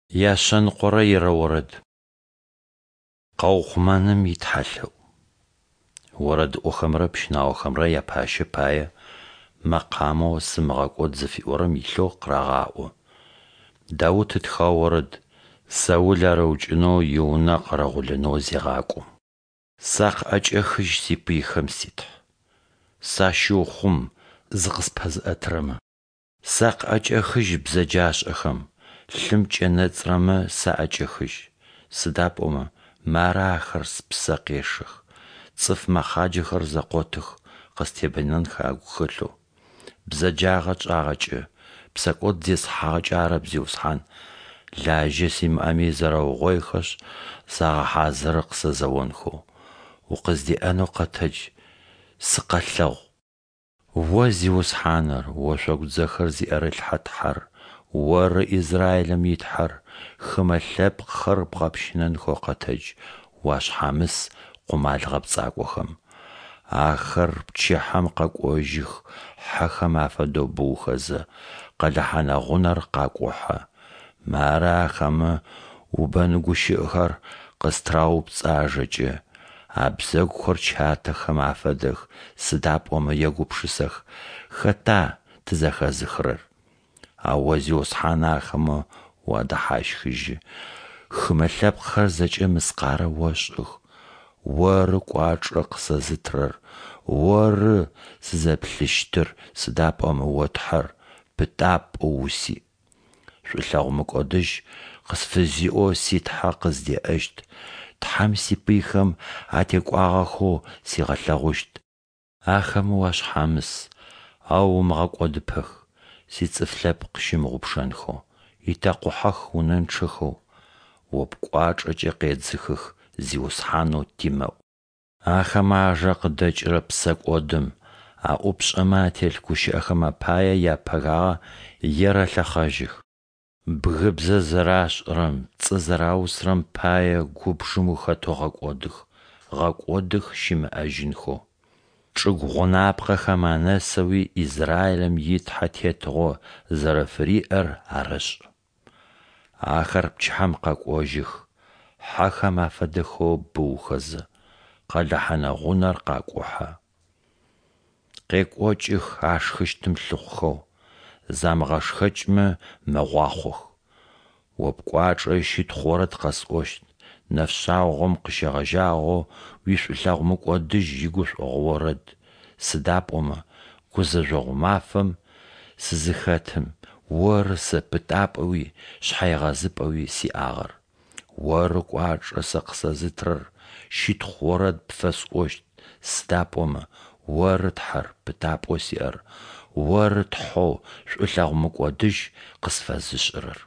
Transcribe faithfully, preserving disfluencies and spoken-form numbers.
Яшъэныкъорэ ирэ орэд. Къэухъумэным итхьалъэӏу. Орэдыӏохэмрэ пщынаохэмрэ япащэ пае мэкъамэу «Сымыгъэкӏод» зыфиӏорэм илъэу къырагъаӏо. Даут ытхыгъэ орэд, Саул ар ыукӏынэу иунэ къэрэгъулэнэу зегъакӏом. Сакъыӏэкӏэхыжь сипыйхэм, си Тхьэ! Сащыухъум зыкъыспэзыӏэтырэмэ. Сакъыӏэкӏэхыжь бзэджашӏэхэм, лъым кӏэнэцӏырэмэ саӏэкӏэхыжь. Сыда пӏомэ мары ахэр спсэ къешэх, цӏыф мэхъаджэхэр зэкъотых къыстебэнэнхэ агу хэлъэу. Бзэджагъэ тшӏагъэкӏэ, псэкӏод зесхьагъэкӏэ арэп, Зиусхьан, лажьэ симыӏэми зэрэугъоихэшъ, загъэхьазыры къысэзэонхэу. Укъыздеӏэнэу къэтэдж, сыкъэлъэгъу! О Зиусхьаныр, ошъогу дзэхэр зиӏэрылъхьэ Тхьэр, Оры Израилым и Тхьэр, хымэ лъэпкъхэр бгъэпщынэнхэу къэтэдж, уашъхьамыс къумал гъэпцӏакӏохэм. Ахэр пчыхьэм къэкӏожьых хьэхэм афэдэу быухэзэ, къэлэ хьэнэ-гъунэр къакӏухьэ. Мары ахэмэ убэн гущыӏэхэр къыстыраупцӏэ ажэкӏэ, абзэгухэр чатэхэм афэдэх, сыда пӏомэ егупшысэх: “Хэта тызэхэзыхырэр?” Ау О Зиусхьан ахэмэ уадэхьащхыжьы, хымэ лъэпкъхэр зэкӏэ мыскъарэ ошӏых. Оры кӏуачӏэ къысэзытырэр, Оры сызэплъыщтыр, сыда пӏомэ О Тхьэр, пытапӏэу усиӏ. Шӏулъэгъу мыкӏодыжь къысфызиӏэу си Тхьэ къыздеӏэщт, Тхьэм сипыйхэм атекӏуагъэхэу сигъэлъэгъущт. Ахэмэ уашъхьамыс, ау умыгъэкӏодыпэх, сицӏыф лъэпкъ щымыгъупшэнхэу, итэкъухьэх унэнчъэхэу. О пкӏуачӏэкӏэ къедзыхых, Зиусхьанэу тимэӏу. Ахэмэ ажэ къыдэкӏырэ псэкӏодым, аӏупшӏэмэ ателъ гущыӏэхэм апае япэгагъэ ерэлъэхъэжьых. Бгыбзэ зэрашӏырэм, пцӏы зэраусырэм пае губжым ухэтэу гъэкӏодых, гъэкӏодых щымыӏэжьынхэу. Чӏыгу гъунапкъэхэм анэсэуи Израилым и Тхьэ тетыгъо зэрэфыриӏэр арэшӏ. Ахэр пчыхьэм къэкӏожьых, хьэхэм афэдэхэу быухэзэ, къэлэ хьэнэ-гъунэр къакӏухьэ. Къекӏокӏых ашхыщтым лъыхъухэу, замыгъэшхэкӏмэ мэгъуахъох. О пкӏуачӏэ ищытхъу орэд къэсӏощт, нэфшъагъом къыщегъэжьагъэу уишӏулъэгъу мыкӏодыжь игушӏогъо орэд, сыда пӏомэ гузэжъогъу мафэм сызыхэтым, Оры сэ пытапӏэуи шъхьэегъэзыпӏэуи сиӏагъэр. Оры кӏуачӏэ сэ къысэзытырэр, щытхъу орэд пфэсӏощт, сыда пӏомэ Оры Тхьэр, пытапӏэу сиӏэр, Оры Тхьэу шӏулъэгъу мыкӏодыжь къысфэзышӏырэр.